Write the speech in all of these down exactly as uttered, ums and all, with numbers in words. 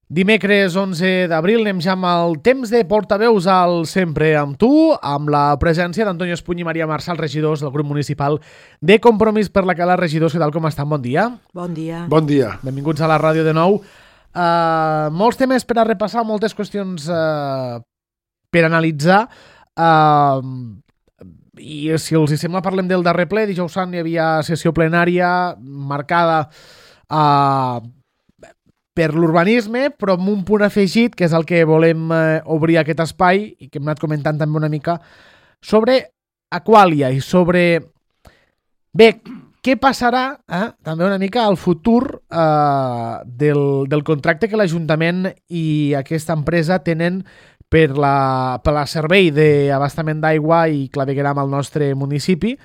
Dimecres onze d'abril anem ja amb el temps de portaveus al Sempre amb tu, amb la presència d'Antonio Espuny i Maria Marçal, regidors del grup municipal de Compromís per la Cala. Regidors, què tal, com estan? Bon dia. Bon dia. Bon dia. Benvinguts a la ràdio de nou. Uh, molts temes per a repassar, moltes qüestions uh, per analitzar. Uh, I si els hi sembla, parlem del darrer ple. Dijous sant hi havia sessió plenària marcada a... Uh, per l'urbanisme, però amb un punt afegit, que és el que volem eh, obrir aquest espai, i que hem anat comentant també una mica, sobre Aqualia i sobre... Bé, què passarà eh, també una mica al futur eh, del, del contracte que l'Ajuntament i aquesta empresa tenen per la, per la servei d'abastament d'aigua i clavegueram al nostre municipi.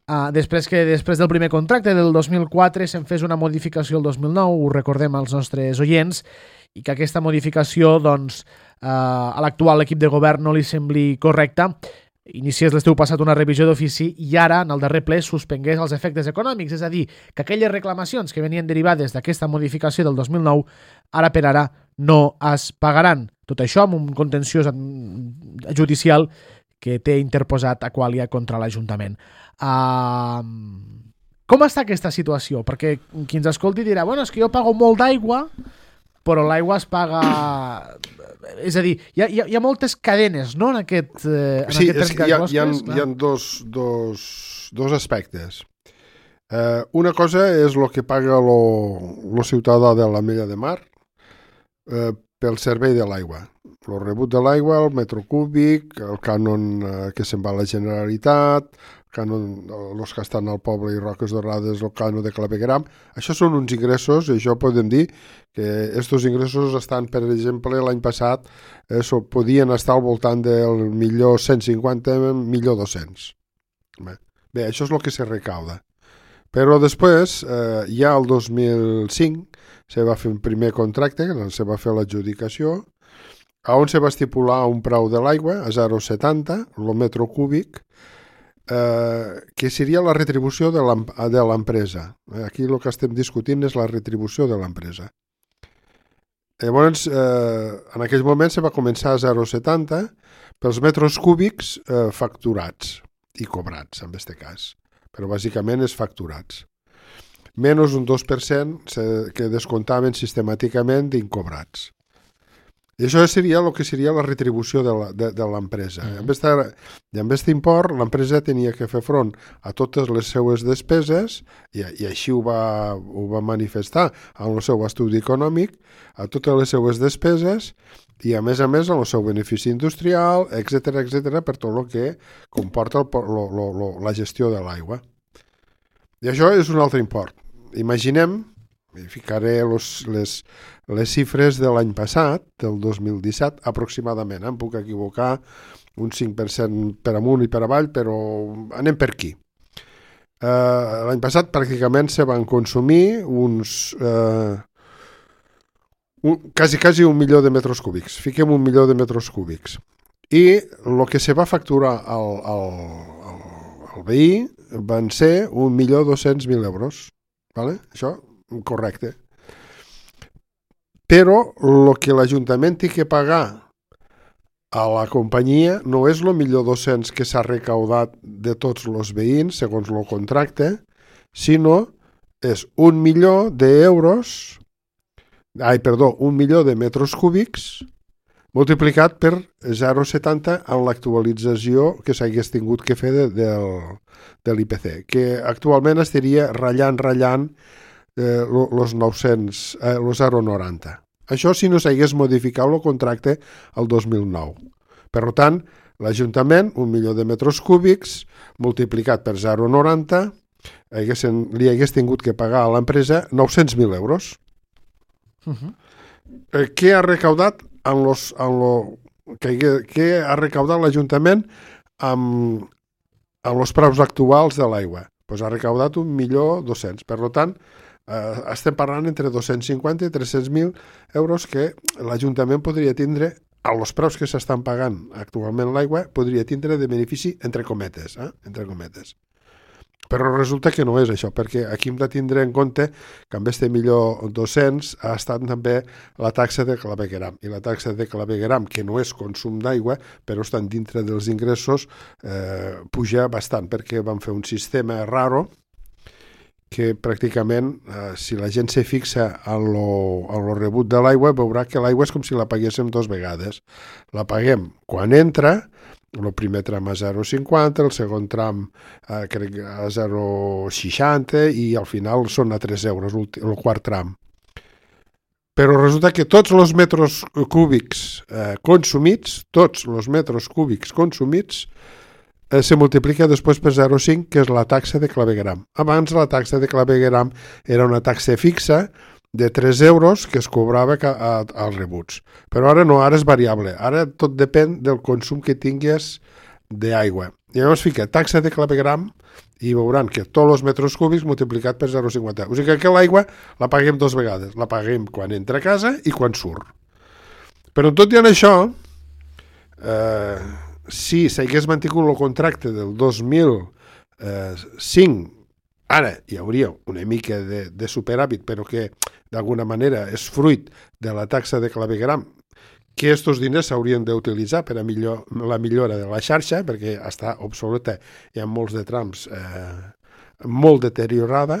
Uh, després que després del primer contracte del dos mil quatre se'n fes una modificació el dos mil nou, ho recordem als nostres oients, i que aquesta modificació doncs, uh, a l'actual equip de govern no li sembli correcta, iniciés l'estiu passat una revisió d'ofici i ara, en el darrer ple, suspengués els efectes econòmics, és a dir, que aquelles reclamacions que venien derivades d'aquesta modificació del dos mil nou, ara per ara no es pagaran. Tot això amb un contenciós judicial que té interposat Aqualia contra l'Ajuntament. Uh, com està aquesta situació? Perquè qui ens escolti dirà, bueno, és que jo pago molt d'aigua, però l'aigua es paga... És a dir, hi ha, hi ha, hi ha moltes cadenes, no?, en aquest... Eh, en sí, aquest és que hi ha, closques, hi ha, hi ha dos, dos, dos aspectes. Eh, una cosa és el que paga el ciutadà de l'Ametlla de Mar eh, pel servei de l'aigua. El rebut de l'aigua, el metro cúbic, el cànon eh, que se'n va a la Generalitat, el cànon, els que estan al poble i Roques Dorades, el cànon de clavegueram. Això són uns ingressos, i això podem dir que aquests ingressos estan, per exemple, l'any passat eh, so, podien estar al voltant del millor cent cinquanta, millor dos-cents. Bé, bé, això és el que se recauda. Però després, eh, ja el dos mil cinc, se va fer un primer contracte, se va fer l'adjudicació, on se va estipular un preu de l'aigua a zero coma setanta, el metro cúbic, eh, que seria la retribució de l'empresa. Aquí el que estem discutint és la retribució de l'empresa. Llavors, eh, en aquell moment se va començar a zero coma setanta pels metres cúbics eh, facturats i cobrats, en aquest cas. Però bàsicament és facturats. Menys un dos per cent que descomptaven sistemàticament d'incobrats. I això seria el que seria la retribució de l'empresa. Mm. I amb aquest import, l'empresa tenia que fer front a totes les seues despeses, i, i així ho va, ho va manifestar en el seu estudi econòmic, a totes les seues despeses, i a més a més en el seu benefici industrial, etcètera, etcètera, per tot el que comporta el, lo, lo, lo, la gestió de l'aigua. I això és un altre import. Imaginem, i ficaré los, les, les xifres de l'any passat, del dos mil disset, aproximadament. Em puc equivocar un cinc per cent per amunt i per avall, però anem per aquí. Uh, l'any passat pràcticament se van consumir uns... Uh, un, quasi, quasi un milió de metres cúbics. Fiquem un milió de metres cúbics. I el que se va facturar al, al, al, al veí van ser un milió dos-cents mil euros. Vale? Això, correcte. Però el que l'Ajuntament té que pagar a la companyia no és el milió dos-cents que s'ha recaudat de tots els veïns, segons el contracte, sinó és un milió d'euros, ai, perdó, un milió de metres cúbics multiplicat per zero coma setanta en l'actualització que s'hagués tingut que fer de, del, de l'I P C, que actualment estaria ratllant, ratllant eh, los nou-cents, eh, los zero coma noranta. Això si no s'hagués modificat el contracte el dos mil nou. Per tant, l'Ajuntament, un milió de metres cúbics, multiplicat per zero coma noranta, haguessin, li hagués tingut que pagar a l'empresa nou-cents mil euros. Uh-huh. Eh, què ha recaudat en los, en lo, què, què ha recaudat l'Ajuntament amb, amb els preus actuals de l'aigua? Pues ha recaudat un milió dos-cents. Per tant, eh, estem parlant entre dos-cents cinquanta i tres-cents mil euros que l'Ajuntament podria tindre, a els preus que s'estan pagant actualment l'aigua, podria tindre de benefici entre cometes. Eh? Entre cometes. Però resulta que no és això, perquè aquí hem de tindre en compte que amb este millor dos-cents ha estat també la taxa de clavegueram. I la taxa de clavegueram, que no és consum d'aigua, però estan dintre dels ingressos, eh, puja bastant, perquè van fer un sistema raro que pràcticament, eh, si la gent se fixa en lo, en lo rebut de l'aigua, veurà que l'aigua és com si la paguéssim dos vegades. La paguem quan entra, el primer tram a zero coma cinquanta, el segon tram eh, crec a zero coma seixanta i al final són a tres euros el quart tram. Però resulta que tots els metres cúbics eh, consumits, tots els metres cúbics consumits, eh, se multiplica després per zero coma cinc, que és la taxa de clavegueram. Abans la taxa de clavegueram era una taxa fixa de tres euros que es cobrava als rebuts. Però ara no, ara és variable. Ara tot depèn del consum que tingues d'aigua. I llavors fica taxa de clavegueram i veuran que tots els metres cúbics multiplicat per zero coma cinquanta. O sigui que l'aigua la paguem dues vegades. La paguem quan entra a casa i quan surt. Però tot i en això, eh, si s'hagués mantingut el contracte del dos mil cinc, ara hi hauria una mica de, de superàvit, però que d'alguna manera és fruit de la taxa de clavegueram, que aquests diners s'haurien d'utilitzar per a millor, la millora de la xarxa, perquè està obsoleta, hi ha molts de trams eh, molt deteriorada.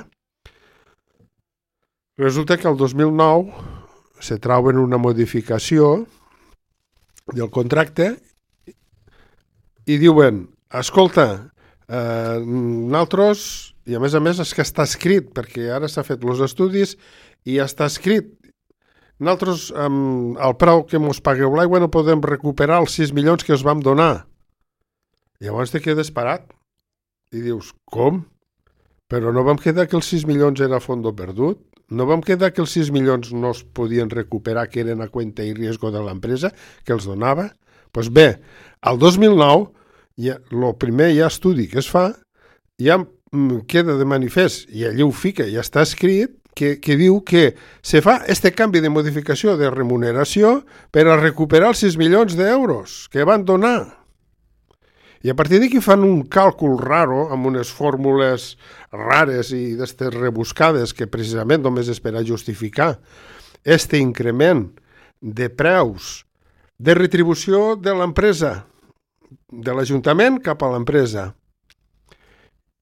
Resulta que el dos mil nou se troben una modificació del contracte i diuen, escolta, eh, nosaltres... I a més a més és que està escrit, perquè ara s'ha fet els estudis i està escrit. Nosaltres, amb el preu que ens pagueu l'aigua, no podem recuperar els sis milions que us vam donar. Llavors te quedes parat i dius, com? Però no vam quedar que els sis milions era fondo perdut? No vam quedar que els sis milions no es podien recuperar, que eren a cuenta i riesgo de l'empresa, que els donava? Doncs pues bé, al dos mil nou, ja, el primer ja estudi que es fa, ja queda de manifest, i allí ho fica, ja està escrit, que, que diu que se fa este canvi de modificació de remuneració per a recuperar els sis milions d'euros que van donar. I a partir d'aquí fan un càlcul raro, amb unes fórmules rares i d'estes rebuscades, que precisament només és per a justificar este increment de preus de retribució de l'empresa, de l'Ajuntament cap a l'empresa.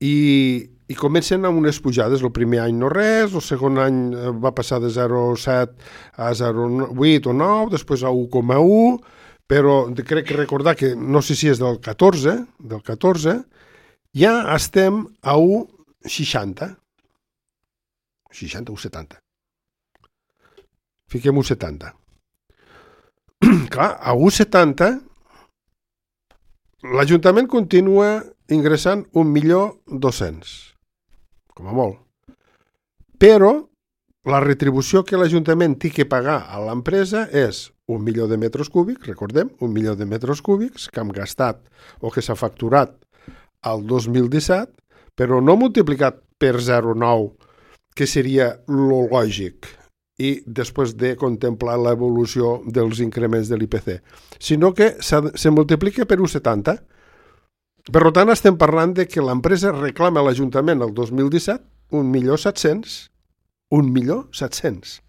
I, i comencen amb unes pujades. El primer any no res, el segon any va passar de zero coma set a zero coma vuit o nou, després a u coma u, però crec que recordar que, no sé si és del catorze, del catorze, ja estem a u coma seixanta. seixanta o setanta. Fiquem u coma setanta. Clar, a u coma setanta l'Ajuntament continua ingressant un milió dos-cents, com a molt. Però la retribució que l'Ajuntament té que pagar a l'empresa és un milió de metres cúbics, recordem, un milió de metres cúbics que hem gastat o que s'ha facturat al dos mil disset, però no multiplicat per zero coma nou, que seria lo lògic, i després de contemplar l'evolució dels increments de l'I P C, sinó que se multiplica per u coma setanta. Per tant, estem parlant de que l'empresa reclama a l'Ajuntament el dos mil disset un milió set-cents. Un milió set-cents.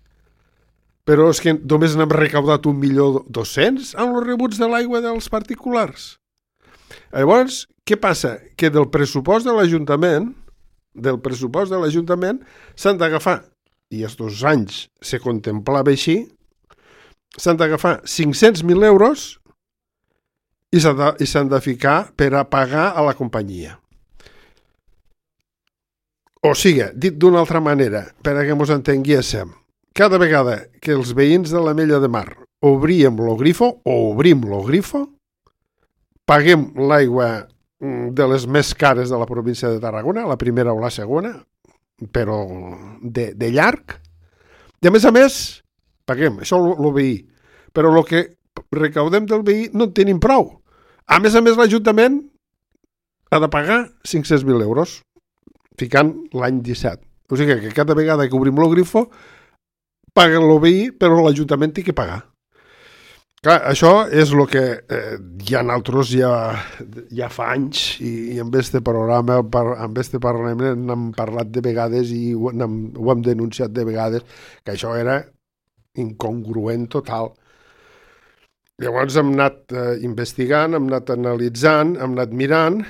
Però és que només n'hem recaudat un milió dos-cents amb els rebuts de l'aigua dels particulars. Llavors, què passa? Que del pressupost de l'Ajuntament, del pressupost de l'Ajuntament s'han d'agafar, i aquests anys se contemplava així, s'han d'agafar cinc-cents mil euros i s'han de, i s'han de ficar per a pagar a la companyia. O sigui, dit d'una altra manera, per a que ens entenguéssim, cada vegada que els veïns de l'Ametlla de Mar obríem el grifo o obrim el grifo, paguem l'aigua de les més cares de la província de Tarragona, la primera o la segona, però de, de llarg, i a més a més paguem, això el veí, però el que recaudem del veí no en tenim prou. A més a més l'Ajuntament ha de pagar cinc-cents mil euros, ficant l'any disset. O sigui que cada vegada que obrim el grifo paguen el veí, però l'Ajuntament té que pagar. Clar, això és el que eh, ja nosaltres ja, ja fa anys i, i amb este programa, per, amb este parlament n'hem parlat de vegades i ho, hem, ho hem denunciat de vegades, que això era incongruent total. Llavors hem anat eh, investigant, hem anat analitzant, hem anat mirant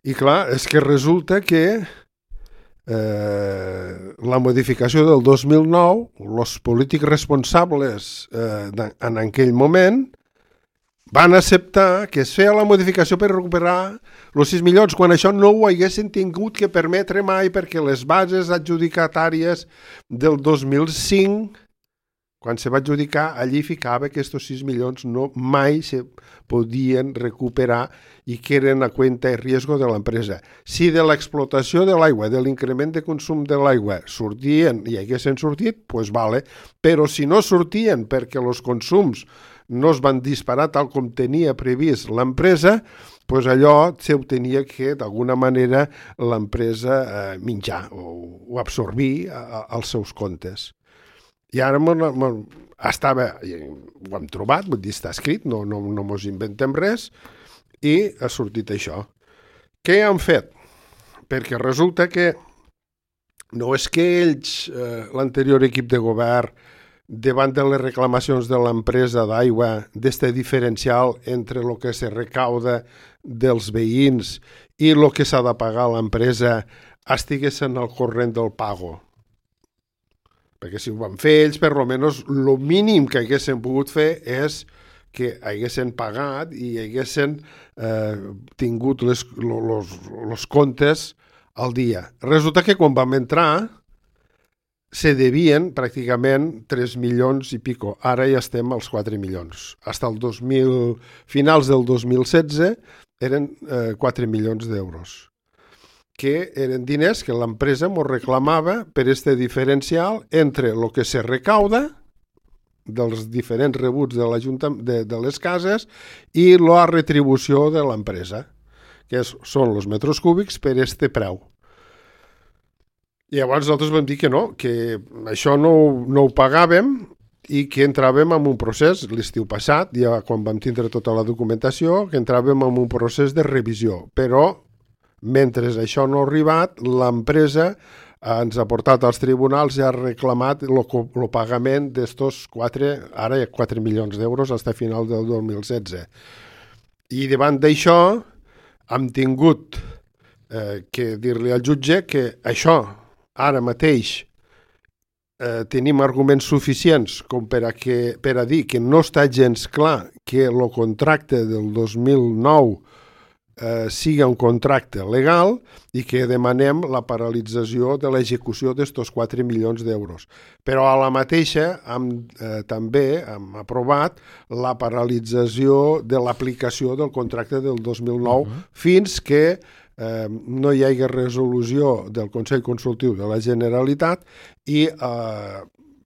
i clar, és que resulta que eh, la modificació del dos mil nou, els polítics responsables eh, en aquell moment van acceptar que es feia la modificació per recuperar els sis milions, quan això no ho haguessin tingut que permetre mai, perquè les bases adjudicatàries del dos mil cinc, quan se va adjudicar, allí ficava que aquests sis milions no mai se podien recuperar i que eren a cuenta i riesgo de l'empresa. Si de l'explotació de l'aigua, de l'increment de consum de l'aigua sortien i haguessin sortit, doncs vale, però si no sortien perquè els consums no es van disparar tal com tenia previst l'empresa, doncs allò se tenia que, d'alguna manera, l'empresa eh, menjar o, o absorbir a, a, als seus comptes. I ara estava, ho hem trobat, vull dir, està escrit, no, no, no mos inventem res, i ha sortit això. Què han fet? Perquè resulta que no és que ells, eh, l'anterior equip de govern, davant de les reclamacions de l'empresa d'aigua, d'este diferencial entre el que se recauda dels veïns i el que s'ha de pagar a l'empresa, estiguessin al corrent del pago. Perquè si ho van fer ells, per almenys el mínim que haguessin pogut fer és que haguessin pagat i haguessin eh, tingut les, los, los comptes al dia. Resulta que quan vam entrar se devien pràcticament tres milions i pico. Ara ja estem als quatre milions. Hasta el dos mil, finals del dos mil setze eren eh, quatre milions d'euros, que eren diners que l'empresa ens reclamava per este diferencial entre el que se recauda dels diferents rebuts de, de, de les cases i la retribució de l'empresa, que és, són els metres cúbics per este preu. I llavors nosaltres vam dir que no, que això no, no ho pagàvem i que entràvem en un procés, l'estiu passat, ja quan vam tindre tota la documentació, que entràvem en un procés de revisió, però mentre això no ha arribat, l'empresa ens ha portat als tribunals i ha reclamat el pagament d'estos quatre, ara hi ha quatre milions d'euros fins a final del dos mil setze. I davant d'això hem tingut eh, que dir-li al jutge que això, ara mateix, eh, tenim arguments suficients com per a, que, per a dir que no està gens clar que el contracte del dos mil nou Eh, siga un contracte legal i que demanem la paralització de l'execució d'estos quatre milions d'euros. Però a la mateixa hem, eh, també hem aprovat la paralització de l'aplicació del contracte del dos mil nou uh-huh. fins que eh, no hi hagi resolució del Consell Consultiu de la Generalitat i eh,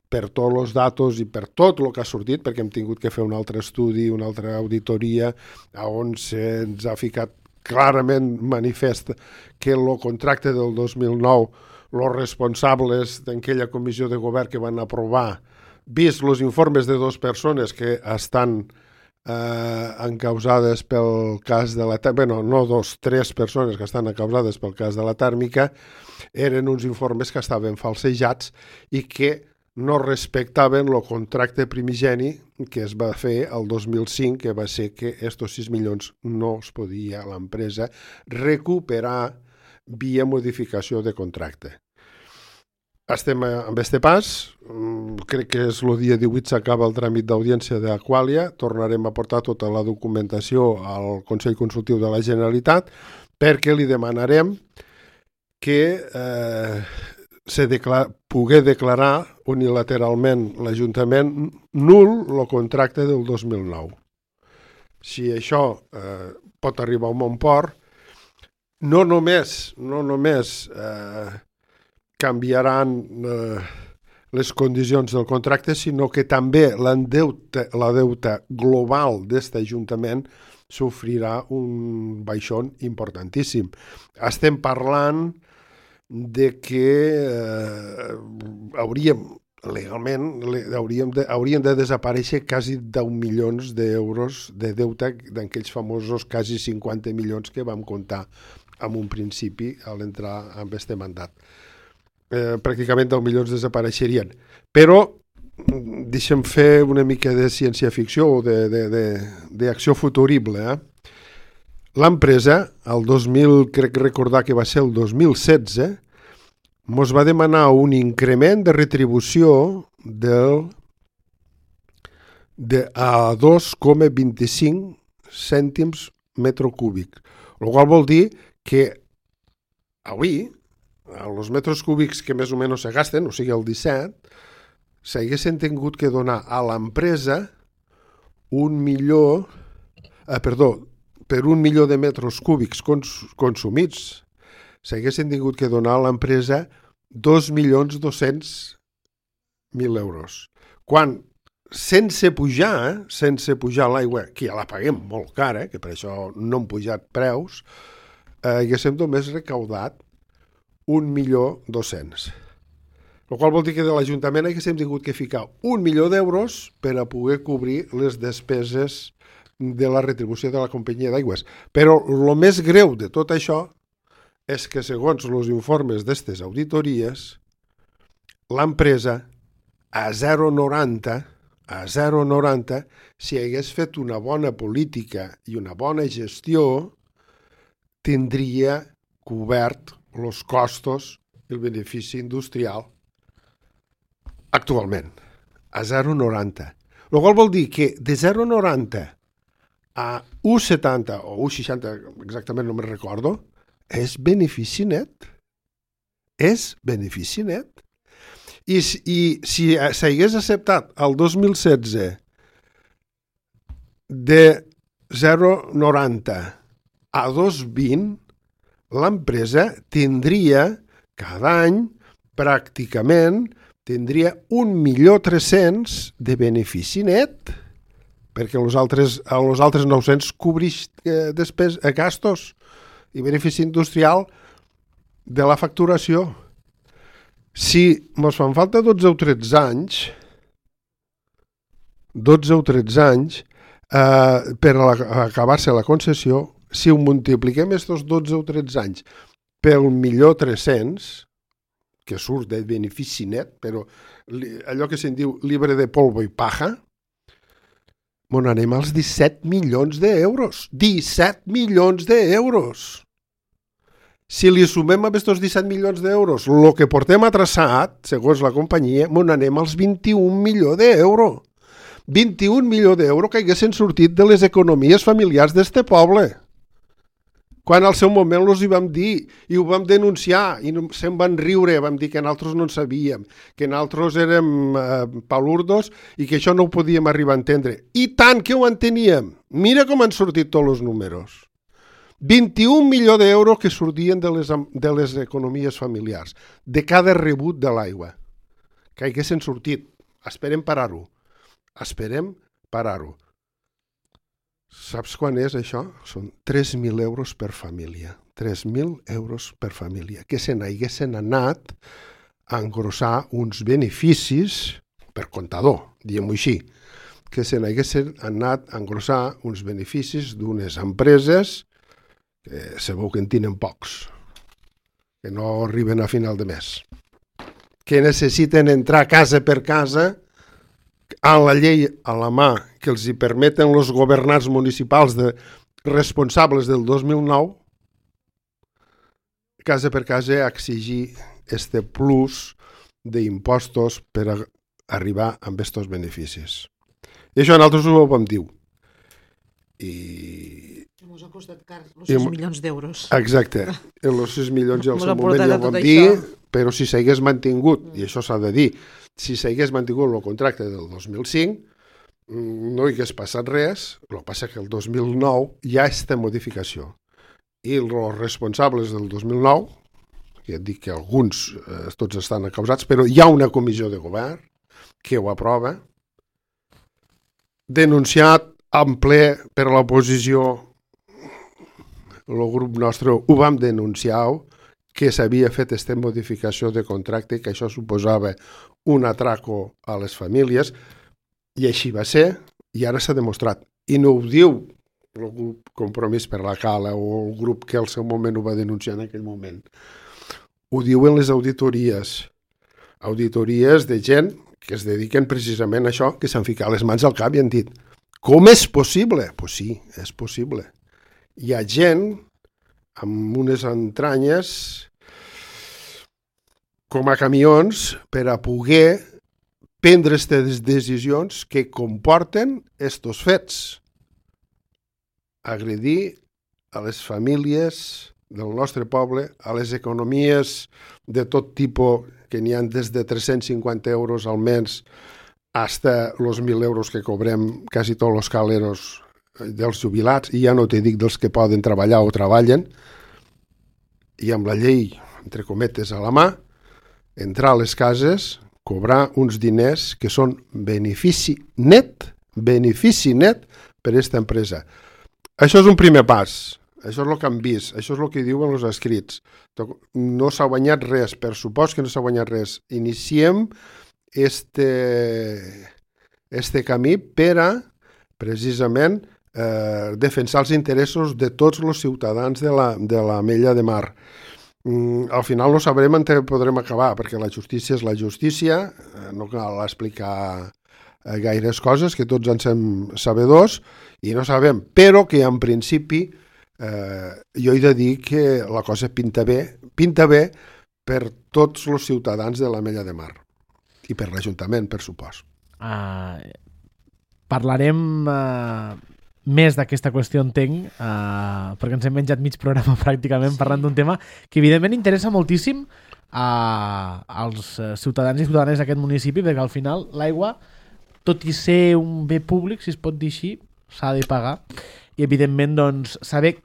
per tots els datos i per tot el que ha sortit, perquè hem tingut que fer un altre estudi, una altra auditoria, on se'ns ha ficat clarament manifest que el contracte del dos mil nou, els responsables d'aquella comissió de govern que van aprovar, vist els informes de dues persones que estan eh, encausades pel cas de la tèrmica, bueno, no dos, tres persones que estan encausades pel cas de la tèrmica, eren uns informes que estaven falsejats i que no respectaven el contracte primigeni que es va fer el dos mil cinc, que va ser que estos sis milions no es podia a l'empresa recuperar via modificació de contracte. Estem amb este pas, crec que és el dia divuit s'acaba el tràmit d'audiència d'Aquàlia, tornarem a portar tota la documentació al Consell Consultiu de la Generalitat perquè li demanarem que eh, se declara, poder declarar unilateralment l'Ajuntament nul el contracte del dos mil nou. Si això eh, pot arribar a un bon port, no només, no només eh, canviaran eh, les condicions del contracte, sinó que també l'endeute, la deuta global d'aquest Ajuntament sofrirà un baixón importantíssim. Estem parlant de que eh, hauríem, legalment hauríem de, haurien de desaparèixer quasi deu milions d'euros de deute d'aquells famosos quasi cinquanta milions que vam comptar en un principi a l'entrar amb este mandat. Eh, pràcticament deu milions desapareixerien. Però deixem fer una mica de ciència-ficció o d'acció futurible. Eh? L'empresa, el dos mil, crec recordar que va ser el dos mil setze, mos va demanar un increment de retribució del, de, a dos coma vint-i-cinc cèntims metro cúbic. El qual vol dir que avui, els metres cúbics que més o menys se gasten, o sigui el disset, s'haguessin tingut que donar a l'empresa un milió, eh, perdó, per un milió de metres cúbics cons, consumits, s'haguessin tingut que donar a l'empresa dos milions dos-cents mil euros. Quan, sense pujar, eh, sense pujar l'aigua, que ja la paguem molt cara, que per això no han pujat preus, eh, haguéssim només recaudat un milió dos-cents. El qual vol dir que de l'Ajuntament haguéssim tingut que ficar un milió d'euros per a poder cobrir les despeses de la retribució de la companyia d'aigües. Però el més greu de tot això és que, segons els informes d'aquestes auditories, l'empresa a zero coma noranta, a zero coma noranta, si hagués fet una bona política i una bona gestió, tindria cobert els costos i el benefici industrial actualment, a zero coma noranta. El qual vol dir que de zero coma noranta a u coma setanta o u coma seixanta, exactament no me'n recordo, és benefici net. És benefici net. I, i si s'hagués acceptat el dos mil setze de zero coma noranta a dos coma vint, l'empresa tindria cada any pràcticament tindria un milió tres-cents de benefici net, perquè els altres, els altres nou-cents cobrix eh, després a gastos i benefici industrial de la facturació. Si ens fan falta dotze o tretze anys, dotze o tretze anys, eh, per acabar-se la concessió, si ho multipliquem aquests dotze o tretze anys pel milió tres-cents, que surt de benefici net, però allò que se'n diu libre de polvo i paja, on anem als disset milions d'euros. disset milions d'euros! Si li sumem a aquests disset milions d'euros el que portem atrasat, segons la companyia, on anem als vint-i-un milions d'euros. vint-i-un milions d'euros que haguessin sortit de les economies familiars d'este poble. Quan al seu moment els hi vam dir i ho vam denunciar i se'n van riure, vam dir que nosaltres no en sabíem, que nosaltres érem eh, palurdos i que això no ho podíem arribar a entendre. I tant que ho enteníem! Mira com han sortit tots els números. vint-i-un milions d'euros que sortien de les, de les economies familiars, de cada rebut de l'aigua, que haguessin sortit. Esperem parar-ho. Esperem parar-ho. Saps quan és això? Són tres mil euros per família. tres mil euros per família. Que se n'haguessin anat a engrossar uns beneficis, per comptador, diguem-ho així, que se n'haguessin anat a engrossar uns beneficis d'unes empreses que sabeu que en tenen pocs, que no arriben a final de mes, que necessiten entrar casa per casa a la llei a la mà que els hi permeten els governants municipals de, responsables del dos mil nou, casa per casa a exigir este plus d'impostos per a arribar amb aquests beneficis. I això nosaltres ho vam dir. I... Ens ha costat car, els sis milions d'euros. Exacte. Els sis milions ja al seu moment ja ho vam dir, però si s'hagués mantingut, i això s'ha de dir, si s'hagués mantingut el contracte del dos mil cinc, no hi hagués passat res, el que passa que el dos mil nou hi ha aquesta modificació. I els responsables del dos mil nou, que et dic que alguns eh, tots estan acausats, però hi ha una comissió de govern que ho aprova, denunciat en ple per l'oposició, el grup nostre ho vam denunciar, que s'havia fet aquesta modificació de contracte, que això suposava un atraco a les famílies, i així va ser, i ara s'ha demostrat. I no ho diu el grup Compromís per la Cala o el grup que al seu moment ho va denunciar en aquell moment. Ho diuen les auditories. Auditories de gent que es dediquen precisament a això, que s'han ficat les mans al cap i han dit com és possible? Doncs pues sí, és possible. Hi ha gent amb unes entranyes com a camions per a poder prendre aquestes decisions que comporten estos fets. Agredir a les famílies del nostre poble, a les economies de tot tipus, que n'hi ha des de tres-cents cinquanta euros al mes hasta els mil euros que cobrem quasi tots els caleros dels jubilats, i ja no te dic dels que poden treballar o treballen, i amb la llei, entre cometes, a la mà, entrar a les cases, cobrar uns diners que són benefici net, benefici net per a aquesta empresa. Això és un primer pas, això és el que han vist, això és el que diuen els escrits. No s'ha guanyat res, per supòs que no s'ha guanyat res. Iniciem este, este camí per a, precisament, eh, defensar els interessos de tots els ciutadans de la, de la Mella de Mar. Mm, al final no sabrem on podrem acabar, perquè la justícia és la justícia, eh, no cal explicar eh, gaires coses, que tots en som sabedors, i no sabem, però que en principi eh, jo he de dir que la cosa pinta bé, pinta bé per tots els ciutadans de la Mella de Mar, i per l'Ajuntament, per supòs. Uh, parlarem uh, més d'aquesta qüestió, entenc, uh, perquè ens hem menjat mig programa pràcticament sí. parlant d'un tema que evidentment interessa moltíssim uh, als ciutadans i ciutadanes d'aquest municipi, perquè al final l'aigua, tot i ser un bé públic, si es pot dir així, s'ha de pagar, i evidentment doncs, saber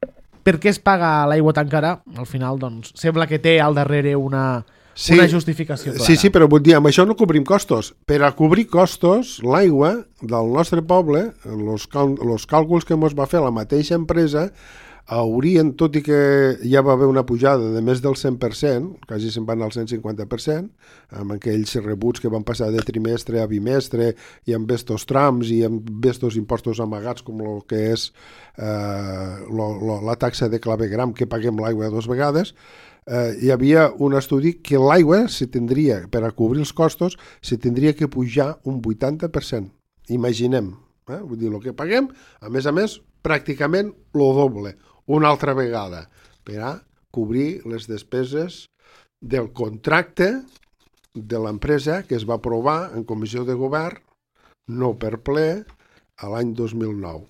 per què es paga l'aigua tan cara, al final doncs, sembla que té al darrere una... Sí, una justificació clara. Sí, sí, però vull dir, amb això no cobrim costos. Per a cobrir costos, l'aigua del nostre poble, els cal càlculs que ens va fer la mateixa empresa, haurien, tot i que ja va haver una pujada de més del cent per cent, quasi se'n van al cent cinquanta per cent, amb aquells rebuts que van passar de trimestre a bimestre, i amb estos trams i amb estos impostos amagats, com el que és eh, lo, lo, la taxa de clavegram, que paguem l'aigua dues vegades. Eh, hi havia un estudi que l'aigua se tindria, per a cobrir els costos, se tindria que pujar un vuitanta per cent. Imaginem, eh? Vull dir, el que paguem, a més a més, pràcticament el doble, una altra vegada, per a cobrir les despeses del contracte de l'empresa que es va aprovar en comissió de govern, no per ple, a l'any dos mil nou.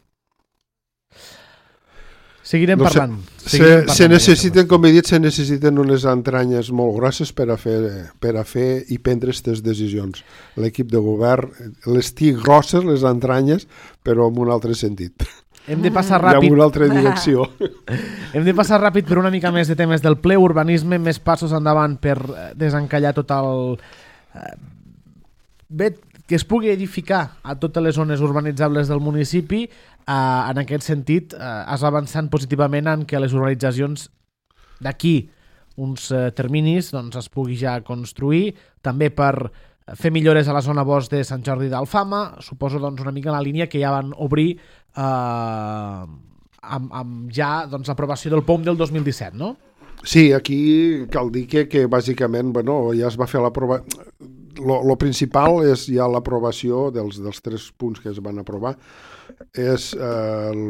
Seguirem no parlant. Se, Seguirem se, parlant se necessiten, com he dit, se necessiten unes entranyes molt grosses per a fer, per a fer i prendre aquestes decisions. L'equip de govern les té grosses, les entranyes, però en un altre sentit. Hem de passar ràpid. I en una altra direcció. Hem de passar ràpid per una mica més de temes del ple, urbanisme, més passos endavant per desencallar tot el... Bé, que es pugui edificar a totes les zones urbanitzables del municipi. Eh, en aquest sentit, eh, es va avançant positivament en que les urbanitzacions d'aquí uns eh, terminis doncs, es pugui ja construir, també per fer millores a la zona bosc de Sant Jordi d'Alfama, suposo doncs, una mica en la línia que ja van obrir eh, amb, amb ja doncs, l'aprovació del P O M del dos mil disset, no? Sí, aquí cal dir que, que bàsicament bueno, ja es va fer l'aprovació. Lo principal és ja l'aprovació dels, dels tres punts que es van aprovar, és eh, el,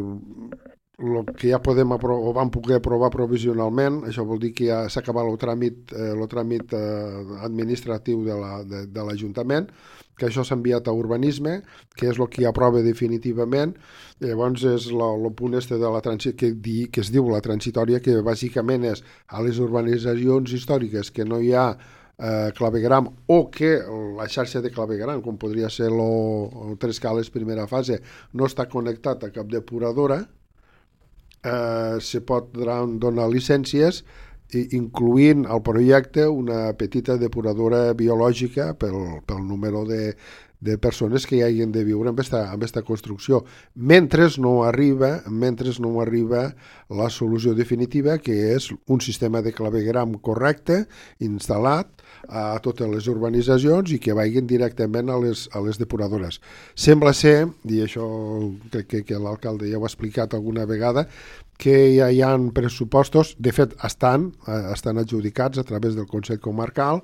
el que ja podem aprovar, o vam poder aprovar provisionalment. Això vol dir que ja s'ha acabat el tràmit, eh, el tràmit eh, administratiu de l'Ajuntament, la, de, de que això s'ha enviat a urbanisme, que és el que aprova definitivament. Llavors és el punt este de la transi que, di, que es diu la transitòria, que bàsicament és a les urbanitzacions històriques que no hi ha Eh, clavegram, o que la xarxa de clavegram, com podria ser el Tres Cales primera fase, no està connectat a cap depuradora, eh, se pot donar llicències, incloent al projecte una petita depuradora biològica pel, pel número de, de persones que hi hagin de viure amb esta, amb esta construcció, mentre no arriba mentre no arriba la solució definitiva, que és un sistema de clavegram correcte, instal·lat a totes les urbanitzacions i que vagin directament a les, a les depuradores. Sembla ser, i això crec que, que l'alcalde ja ho ha explicat alguna vegada, que ja hi ha pressupostos, de fet estan, estan adjudicats a través del Consell Comarcal,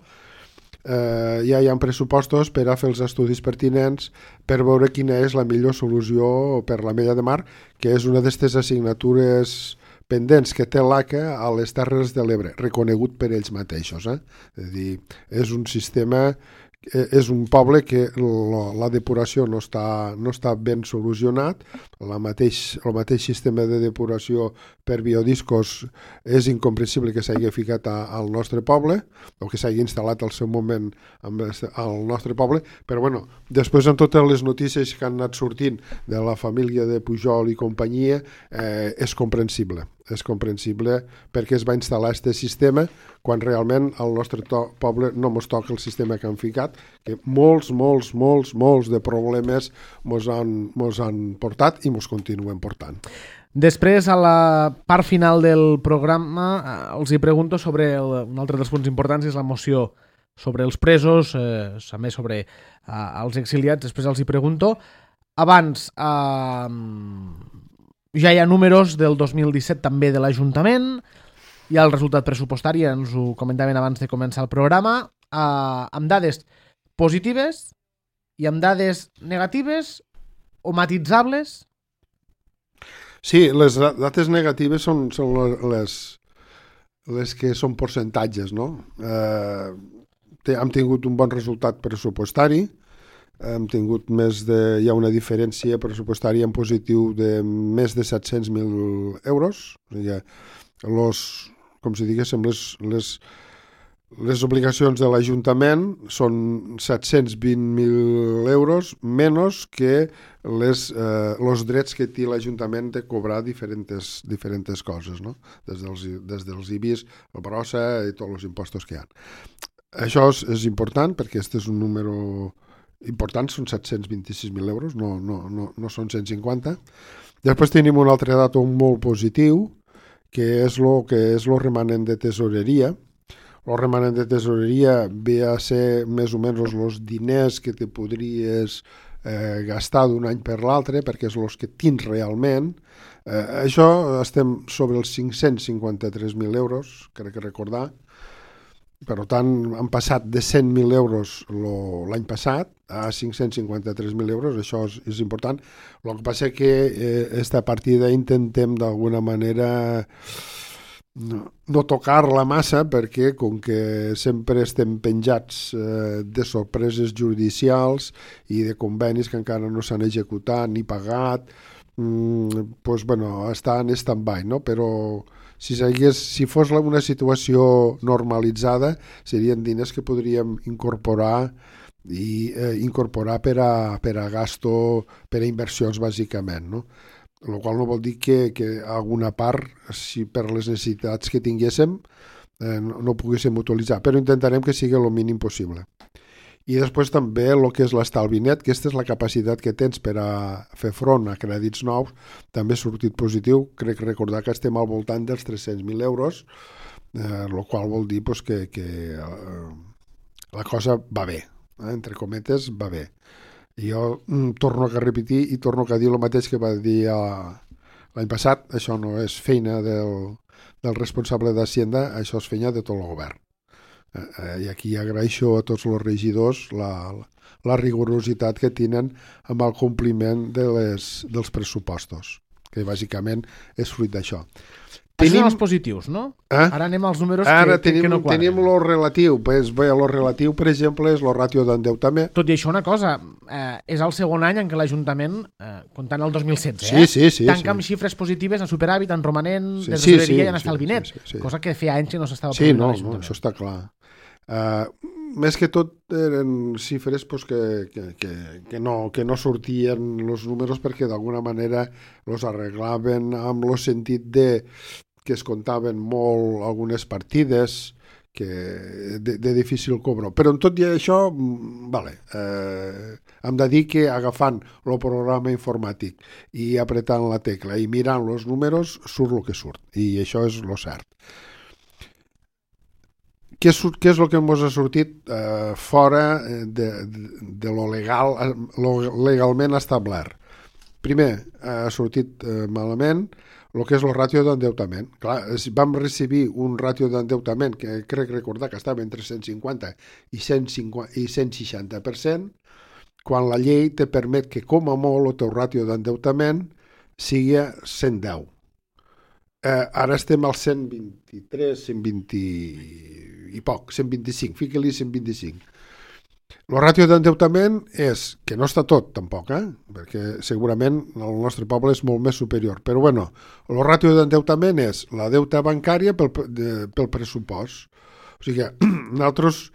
eh, ja hi ha pressupostos per a fer els estudis pertinents per veure quina és la millor solució per la Mella de Mar, que és una d'aquestes assignatures pendents que té l'A C A a les Terres de l'Ebre, reconegut per ells mateixos. Eh? És a dir, és un sistema, és un poble que la, la depuració no està, no està ben solucionat, la mateix, el mateix sistema de depuració per biodiscos és incomprensible que s'hagi ficat a, al nostre poble, o que s'hagi instal·lat al seu moment amb, al nostre poble, però bueno, després en totes les notícies que han anat sortint de la família de Pujol i companyia, eh, és comprensible. És comprensible perquè es va instal·lar aquest sistema quan realment al nostre to- poble no mos toca el sistema que han ficat, que molts, molts, molts, molts de problemes mos han, mos han portat i mos continuen portant. Després, a la part final del programa, eh, els hi pregunto sobre el, un altre dels punts importants, és la moció sobre els presos, eh, també sobre eh, els exiliats. Després els hi pregunto. Abans, eh, ja hi ha números del dos mil disset també de l'Ajuntament, hi ha el resultat pressupostari, ens ho comentaven abans de començar el programa, eh, amb dades positives i amb dades negatives o matissables. Sí, les dates negatives són, són les, les que són percentatges, no? Eh, hem tingut un bon resultat pressupostari, hem tingut més de, hi ha una diferència pressupostària en positiu de més de set-cents mil euros. O sigui, los, com si diguéssim, les, les, les obligacions de l'Ajuntament són set-cents vint mil euros menys que les, eh, los drets que té l'Ajuntament de cobrar diferents, diferents coses, no? Des dels, des dels I B I S, el brossa i tots els impostos que hi ha. Això és, és important perquè aquest és un número important, són set-cents vint-i-sis mil euros, no, no, no, no són cent cinquanta. Després tenim un altre dato molt positiu, que és lo que és lo remanent de tesoreria. El remanent de tesoreria ve a ser més o menys els diners que te podries eh, gastar d'un any per l'altre, perquè és els que tens realment. Eh, això estem sobre els cinc-cents cinquanta-tres mil euros, crec que recordar. Per tant, han passat de cent mil euros l'any passat a cinc-cents cinquanta-tres mil euros, això és, és important. El que passa és que eh, esta partida intentem d'alguna manera no, no tocar-la massa, perquè com que sempre estem penjats eh, de sorpreses judicials i de convenis que encara no s'han executat ni pagat, mm, pues, bueno, està en stand-by, no? Però si, seguís, si fos una situació normalitzada, serien diners que podríem incorporar i eh, incorporar per a, per a gasto, per a inversions bàsicament, no? El qual no vol dir que, que alguna part, si per les necessitats que tinguéssim, eh, no, no poguéssim utilitzar, però intentarem que sigui el mínim possible. I després també el que és l'estalvi net, que aquesta és la capacitat que tens per a fer front a crèdits nous, també ha sortit positiu. Crec recordar que estem al voltant dels tres-cents mil euros, eh, el qual vol dir pues, que, que eh, la cosa va bé, eh, entre cometes va bé. I jo mm, torno a repetir i torno a dir el mateix que va dir eh, l'any passat, això no és feina del, del responsable d'Hacienda, això és feina de tot el govern. I aquí agraeixo a tots els regidors la, la rigorositat que tenen amb el compliment de les, dels pressupostos, que bàsicament és fruit d'això. Tenim... Això són els positius, no? Eh? Ara anem als números Ara que, tenim, que no quadren. Tenim lo relatiu. Pues, bé, lo relatiu, per exemple, és lo ràtio d'endeutament. Tot i això, una cosa, eh, és el segon any en què l'Ajuntament, eh, comptant el dos mil setze, sí, eh, sí, sí, tanca sí. amb xifres positives en superàvit, en romanent, sí, de sí, tesoreria sí, i en estalvi net, sí, sí, sí. cosa que feia anys que no s'estava sí, produint no, a l'Ajuntament. No, això està clar. Uh, més que tot eren xifres pues, que, que, que, que, no, que no sortien els números perquè d'alguna manera els arreglaven amb el sentit de que es comptaven molt algunes partides que de, de difícil cobro. Però en tot i això, vale, eh, hem de dir que agafant el programa informàtic i apretant la tecla i mirant els números, surt el que surt. I això és el cert. Què és, què és el que ens ha sortit eh, fora de, de, de lo legal, lo legalment establert? Primer, ha sortit eh, malament el que és el ràtio d'endeutament. Clar, vam recibir un ràtio d'endeutament que crec recordar que estava entre cent cinquanta i cent cinquanta i cent seixanta per cent, quan la llei te permet que com a molt el teu ràtio d'endeutament sigui cent deu. Eh, ara estem al cent vint-i-tres, cent vint i poc, cent vint-i-cinc, fica-li cent vint-i-cinc. El ràtio d'endeutament és, que no està tot tampoc, eh? Perquè segurament el nostre poble és molt més superior, però bueno, el ràtio d'endeutament és la deuta bancària pel, de, pel pressupost. O sigui, nosaltres,